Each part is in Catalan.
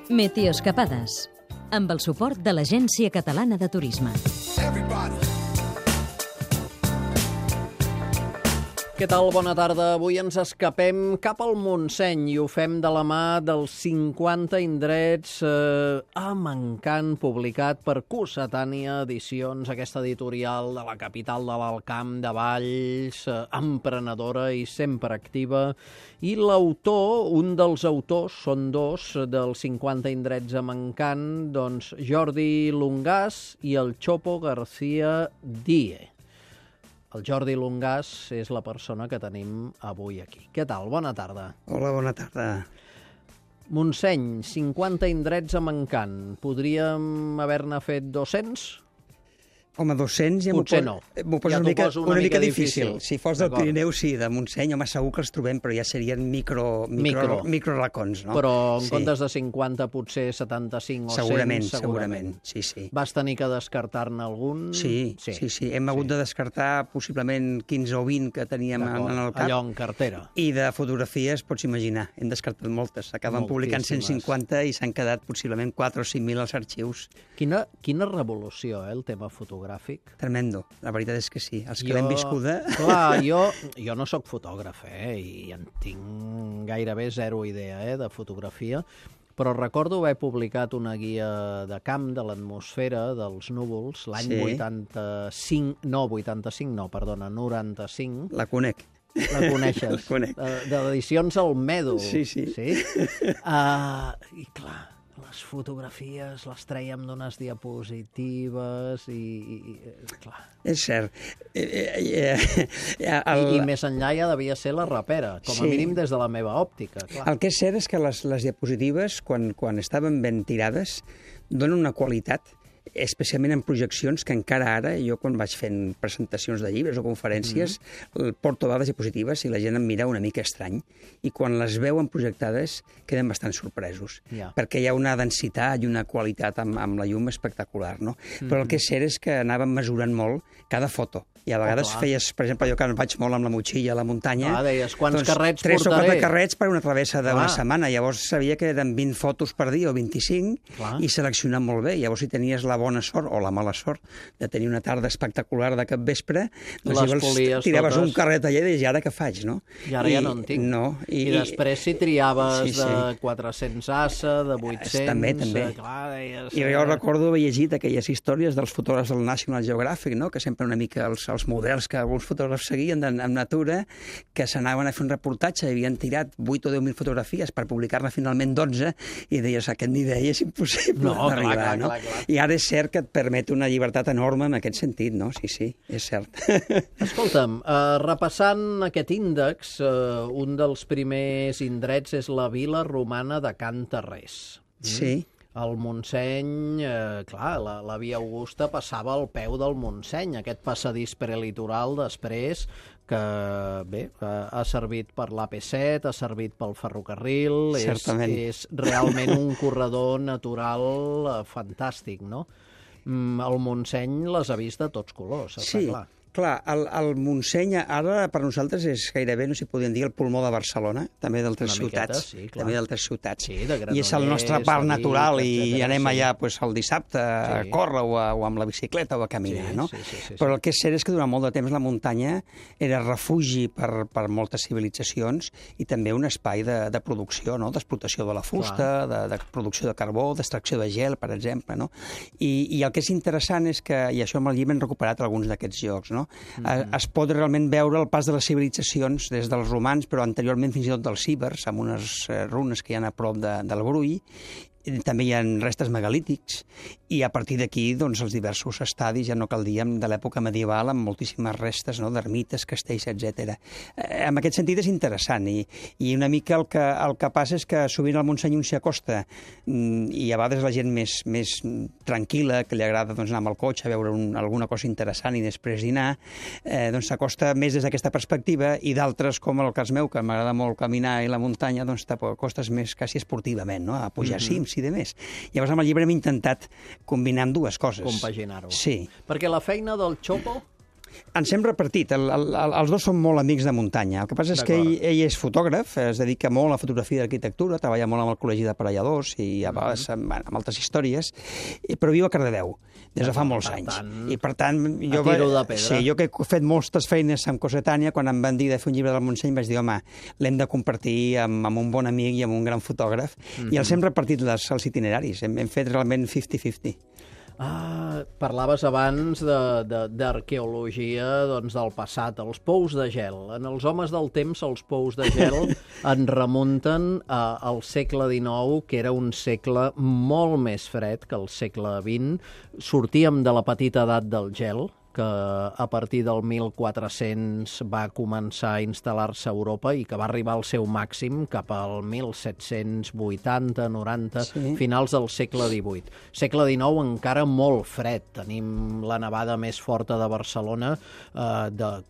Meteoescapades, amb el suport de l'Agència Catalana de Turisme. Què tal? Bona tarda. Avui ens escapem cap al Montseny i ho fem de la mà dels 50 indrets amb encant, publicat per Cossetània Edicions, aquesta editorial de la capital de l'Alt Camp de Valls, emprenedora i sempre activa. I l'autor, un dels autors, són dos, dels 50 indrets amb encant, doncs Jordi Lungàs i el Chopo García Die. El Jordi Lungàs és la persona que tenim avui aquí. Què tal? Bona tarda. Hola, bona tarda. Montseny, 50 indrets amb encant. Podríem haver-ne fet 200? Home, 200 ja potser no. M'ho poso una mica difícil. Si fos del Pirineu, sí, de Montseny, home, segur que els trobem, però ja serien micro racons, no? Però en comptes de 50, potser 75 o 100, segurament. Sí. Vas tenir que descartar-ne algun? Sí. Hem hagut de descartar possiblement 15 o 20 que teníem en el cap. Allò en cartera. I de fotografies, pots imaginar, hem descartat moltes. Acaben publicant 150 i s'han quedat possiblement 4 o 5.000 als arxius. Quina revolució, el tema fotogràfic. Tremendo, la veritat és que sí. Els que l'hem viscuda... Clar, jo no sóc fotògraf, i en tinc gairebé zero idea de fotografia, però recordo haver publicat una guia de camp de l'atmosfera dels núvols l'any 95. La conec. La coneixes? La conec. De l'edicions al Mèdol. Sí. I clar, les fotografies les trèiem d'unes diapositives i clar. És cert. I més enllà ja devia ser la rapera, com a mínim des de la meva òptica. Clar. El que és cert és que les diapositives, quan estaven ben tirades, donen una qualitat, especialment en projeccions, que encara ara, jo quan vaig fent presentacions de llibres o conferències, porto dades diapositives i la gent em mira una mica estrany. I quan les veuen projectades queden bastant sorpresos, perquè hi ha una densitat i una qualitat amb la llum espectacular, no? Però el que és cert és que anàvem mesurant molt cada foto. I a vegades feies, per exemple, jo que vaig molt amb la motxilla a la muntanya, deies, quants carrets 3 o 4 portaré? carrets per una travessa d'una setmana. Llavors sabia que eren 20 fotos per dia o 25 i seleccionar molt bé. Llavors si tenies la bona sort o la mala sort de tenir una tarda espectacular de capvespre, doncs llavors tiraves un carret allà i deies, i ara què faig, no? I ara ja no en tinc. No. I després si triaves de 400 assa, de 800... També. I jo recordo haver llegit aquelles històries dels fotògrafs del National Geographic, no? Que sempre una mica els models que alguns fotògrafs seguien en natura, que s'anaven a fer un reportatge i havien tirat 8 o 10.000 fotografies per publicar-ne finalment 12 i deies, aquest nivell és impossible d'arribar, no? I ara és cert que et permet una llibertat enorme en aquest sentit, no? Sí, és cert. Escolta'm, repassant aquest índex, un dels primers indrets és la vila romana de Can Tarrés. Sí. El Montseny, clar, la Via Augusta passava al peu del Montseny, aquest passadís prelitoral després, que bé, ha servit per l'AP7, ha servit pel ferrocarril, és realment un corredor natural fantàstic, no? El Montseny les ha vist de tots colors, està clar. Clar, el Montseny ara per nosaltres és gairebé, no s'hi podien dir, el pulmó de Barcelona, també d'altres ciutats. També d'altres ciutats. I és el nostre parc natural i anem allà el dissabte a córrer o amb la bicicleta o a caminar, no? Però el que és cert és que durant molt de temps la muntanya era refugi per moltes civilitzacions i també un espai de producció, d'explotació de la fusta, de producció de carbó, d'extracció de gel, per exemple, no? I el que és interessant és que, i això amb el llibre hem recuperat alguns d'aquests llocs, no? Es pot realment veure el pas de les civilitzacions des dels romans, però anteriorment fins i tot dels ibers, amb unes runes que hi ha a prop del Brull. També hi ha restes megalítics i a partir d'aquí doncs, els diversos estadis, ja no cal dir, de l'època medieval, amb moltíssimes restes d'ermites, castells, etc. En aquest sentit és interessant i una mica el que passa és que sovint al Montseny un s'hi acosta i a vegades la gent més tranquil·la, que li agrada anar amb el cotxe a veure alguna cosa interessant i després dinar, doncs s'acosta més des d'aquesta perspectiva i d'altres, com el cas meu, que m'agrada molt caminar i la muntanya, doncs t'acostes més quasi esportivament, no? A pujar cims i de més. Llavors amb el llibre hem intentat combinar dues coses. Compaginar-ho. Sí. Perquè la feina del Chopo Ens hem repartit. Els dos són molt amics de muntanya. El que passa és que ell és fotògraf, es dedica molt a la fotografia d'arquitectura, treballa molt amb el Col·legi d'Aparelladors i a vegades amb altres històries, però viu a Cardedeu des de fa molts anys. I per tant, jo que he fet moltes feines amb Cossetània, quan em van dir de fer un llibre del Montseny, vaig dir, home, l'hem de compartir amb un bon amic i amb un gran fotògraf, i els hem repartit els itineraris. Hem fet realment 50-50. Parlaves abans d'arqueologia del passat, els pous de gel. En els homes del temps, els pous de gel en remunten al segle XIX, que era un segle molt més fred que el segle XX. Sortíem de la petita edat del gel, que a partir del 1400 va començar a instal·lar-se a Europa i que va arribar al seu màxim cap al 1780-90, finals del segle XVIII. Segle XIX encara molt fred. Tenim la nevada més forta de Barcelona,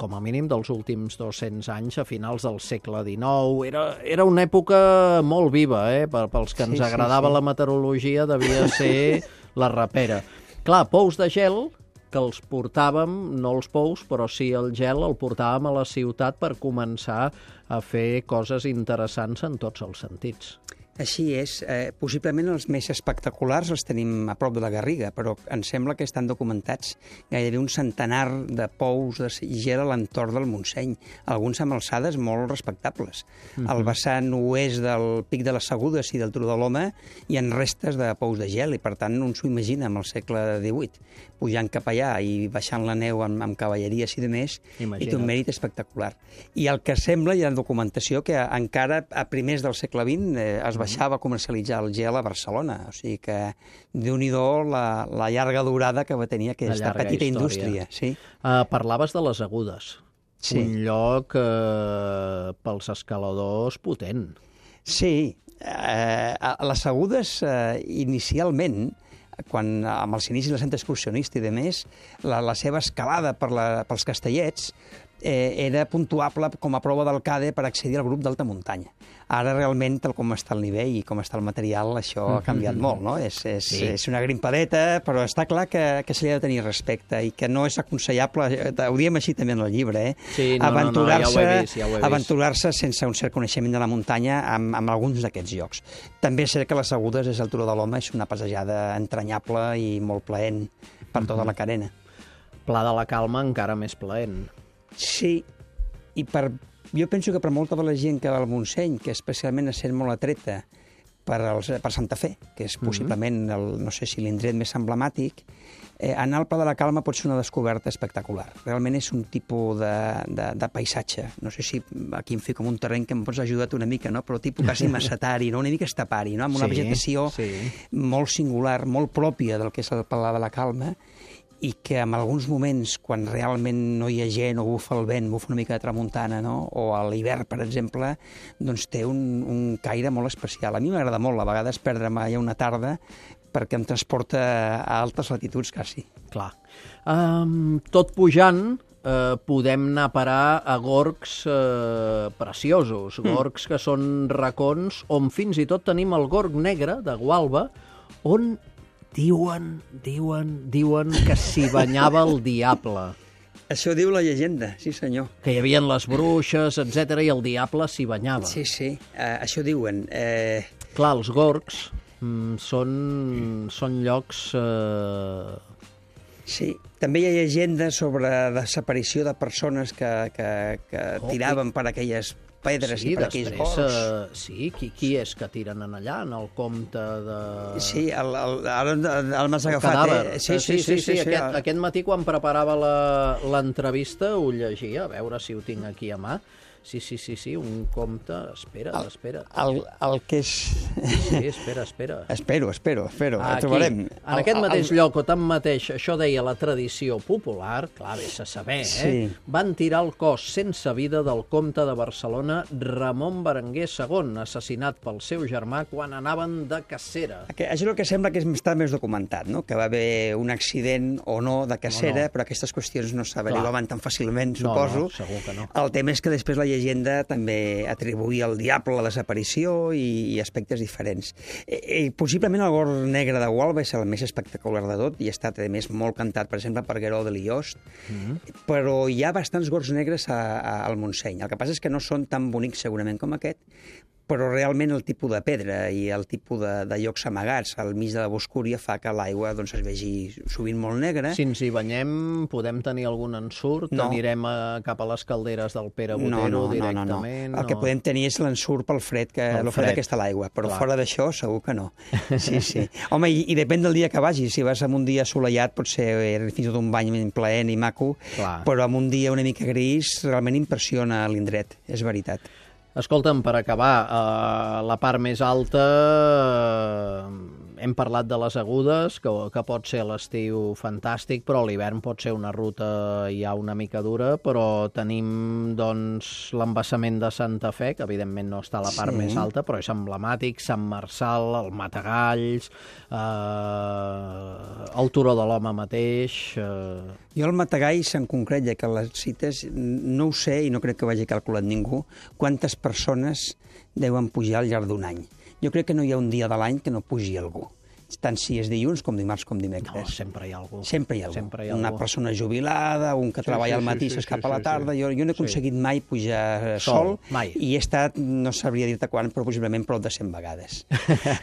com a mínim dels últims 200 anys, a finals del segle XIX. Era una època molt viva, pels que ens agradava la meteorologia, devia ser la rapera. Clar, pous de gel, que els portàvem, no els pous, però sí el gel, el portàvem a la ciutat per començar a fer coses interessants en tots els sentits. Així és. Possiblement els més espectaculars els tenim a prop de la Garriga, però em sembla que estan documentats gairebé un centenar de pous de gel a l'entorn del Montseny, alguns amb alçades molt respectables. Al vessant oest del Pic de les Segudes i del Turó de l'Home hi ha restes de pous de gel i, per tant, un s'ho imagina amb el segle XVIII, pujant cap allà i baixant la neu amb cavalleries i demés, i té un mèrit espectacular. I el que sembla, hi ha documentació que encara a primers del segle XX es baixava a comercialitzar el gel a Barcelona. O sigui que, déu-n'hi-do, la llarga durada que va tenir aquesta petita indústria. Parlaves de les Agudes. Un lloc pels escaladors potent. Sí. Les Agudes, inicialment, amb els inicis del centre excursionista i de més, la seva escalada pels Castellets era puntuable com a prova del CADE per accedir al grup d'alta muntanya. Ara realment, tal com està el nivell i com està el material, això ha canviat molt, no? És una grimpadeta, però està clar que se li ha de tenir respecte i que no és aconsellable, ho diem així també en el llibre, aventurar-se sense un cert coneixement de la muntanya amb alguns d'aquests llocs. També és cert que les Agudes és el Turó de l'Home, és una passejada entranyable i molt plaent per tota la carena. Pla de la Calma encara més plaent. Sí, i jo penso que per molta de la gent que va al Montseny, que especialment es sent molt atreta per Santa Fe, que és possiblement, no sé si l'indret més emblemàtic, anar al Pla de la Calma pot ser una descoberta espectacular. Realment és un tipus de paisatge. No sé si aquí em fico en un terreny que em pots ajudar una mica, no? Però tipus quasi macetari, no? Una mica estepari, no? Amb una vegetació molt singular, molt pròpia del que és el Pla de la Calma, i que en alguns moments, quan realment no hi ha gent o bufa el vent, bufa una mica de tramuntana, no? O a l'hivern, per exemple, doncs té un caire molt especial. A mi m'agrada molt, a vegades, perdre'm allà una tarda perquè em transporta a altes latituds, quasi. Clar. Tot pujant, podem anar a parar a gorgs preciosos, gorgs que són racons, on fins i tot tenim el gorg negre de Gualba, on diuen que s'hi banyava el diable. Això diu la llegenda, sí senyor. Que hi havia les bruixes, etc i el diable s'hi banyava. Sí, això diuen. Clar, els gorgs són llocs... Sí, també hi ha llegendes sobre desaparició de persones que tiraven per aquelles pedres i per aquells gorgs. Sí, qui és que tiren en allà, en el comte de... Sí, ara el m'has agafat. Sí. Aquest matí, quan preparava l'entrevista, ho llegia, a veure si ho tinc aquí a mà. Sí, un comte... Espera. El que és... Sí, espera. Espero, ho trobarem. En aquest mateix lloc, o tanmateix, això deia la tradició popular, clar, vés a saber, van tirar el cos sense vida del comte de Barcelona, Ramon Berenguer II, assassinat pel seu germà quan anaven de cacera. Això és el que sembla que està més documentat, no? Que va haver un accident o no de cacera, però aquestes qüestions no s'averiguaven tan fàcilment, suposo. No, segur que no. El tema és que després la llegenda també atribuïa al diable la desaparició i aspectes diferents. Possiblement el gor negre de Gualba és el més espectacular de tot i ha estat, a més, molt cantat, per exemple, per Guerau de Liost, però hi ha bastants gors negres al Montseny. El que passa és que no són tan bonics segurament com aquest, però realment el tipus de pedra i el tipus de llocs amagats al mig de la boscúria fa que l'aigua es vegi sovint molt negra. Si ens hi banyem, podem tenir algun ensurt? No. Anirem cap a les calderes del Pere Botero directament? No. El que podem tenir és l'ensurt pel fred, el fred que està l'aigua, però fora d'això segur que no. Sí. Home, i depèn del dia que vagis. Si vas en un dia assolellat pot ser fins i tot un bany plaent i maco, però en un dia una mica gris realment impressiona l'indret, és veritat. Escolta'm, per acabar, la part més alta, hem parlat de les Agudes, que pot ser a l'estiu fantàstic, però a l'hivern pot ser una ruta ja una mica dura, però tenim doncs l'embassament de Santa Fe, que evidentment no està a la part més alta, però és emblemàtic, Sant Marçal, el Matagalls, el Turó de l'Home mateix... Jo el Matagalls, en concret, ja que les cites, no ho sé i no crec que vagi calculat ningú, quantes persones deuen pujar al llarg d'un any. Jo crec que no hi ha un dia de l'any que no pugi algú. Tant si és dilluns com dimarts com dimecres. No, sempre hi ha algú. Sempre hi ha algú. Una persona jubilada, un que treballa al matí i s'escapa a la tarda. Jo no he aconseguit mai pujar sol i he estat, no sabria dir-te quan, però possiblement prou de 100 vegades.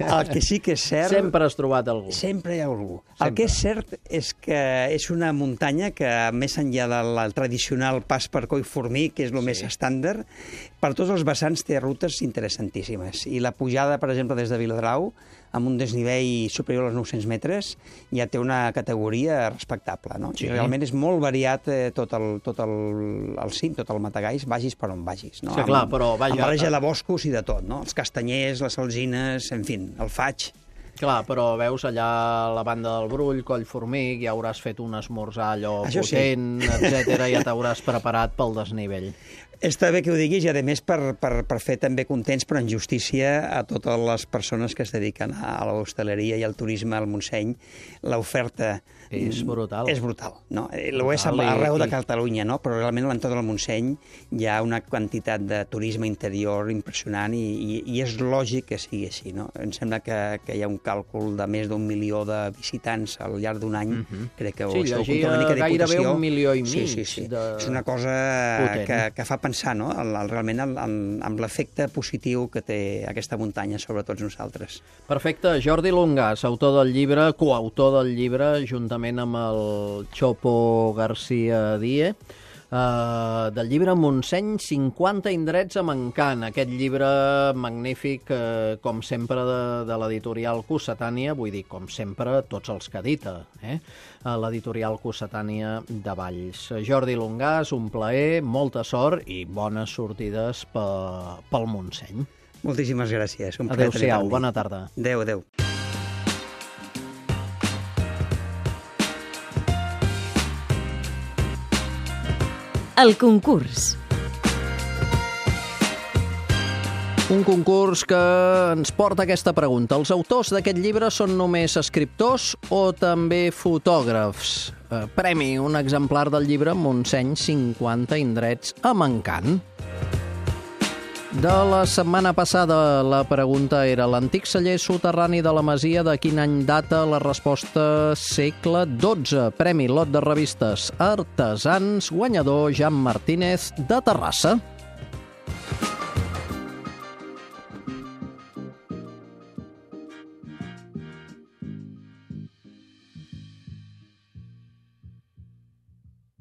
El que sí que és cert... Sempre has trobat algú. Sempre hi ha algú. El que és cert és que és una muntanya que, més enllà del tradicional pas per Collformí, que és el més estàndard, per tots els vessants té rutes interessantíssimes. I la pujada, per exemple, des de Viladrau, amb un desnivell superior als 900 metres, ja té una categoria respectable, no? Sí. Realment és molt variat tot el cim, tot el Matagalls, vagis per on vagis, no? Sí, clar, però vaja... Amb barreja de boscos i de tot, no? Els castanyers, les alzines, en fi, el faig... Clar, però veus allà a la banda del Brull, Collformic, ja hauràs fet un esmorzar allò potent, etc. Ja t'hauràs preparat pel desnivell. Està bé que ho diguis i, a més, per fer també contents, però en justícia, a totes les persones que es dediquen a l'hostaleria i al turisme al Montseny, l'oferta... És brutal. És brutal, no? Ho és arreu de Catalunya, no? Però realment a l'entorn del Montseny hi ha una quantitat de turisme interior impressionant i és lògic que sigui així, no? Em sembla que hi ha un càlcul de més d'1 milió de visitants al llarg d'un any. Crec que sí, llegia gairebé 1,5 milió. Sí. És una cosa que fa pensar, no? Realment amb l'efecte positiu que té aquesta muntanya sobre tots nosaltres. Perfecte. Jordi Lungàs, autor del llibre, coautor del llibre, juntament amb el Chopo García Die, del llibre Montseny, 50 indrets a Mancant. Aquest llibre magnífic, com sempre, de l'editorial Cossetània, vull dir, com sempre, tots els que edita, l'editorial Cossetània de Valls. Jordi Lungàs, un plaer, molta sort i bones sortides pel Montseny. Moltíssimes gràcies. Adéu-siau, bona tarda. Adéu. El concurs. Un concurs que ens porta aquesta pregunta. Els autors d'aquest llibre són només escriptors o també fotògrafs? Premi, un exemplar del llibre Montseny, 50 indrets a Mancant. De la setmana passada la pregunta era: l'antic celler soterrani de la masia de quin any data? La resposta: segle XII. Premi lot de revistes Artesans, guanyador Jan Martínez de Terrassa.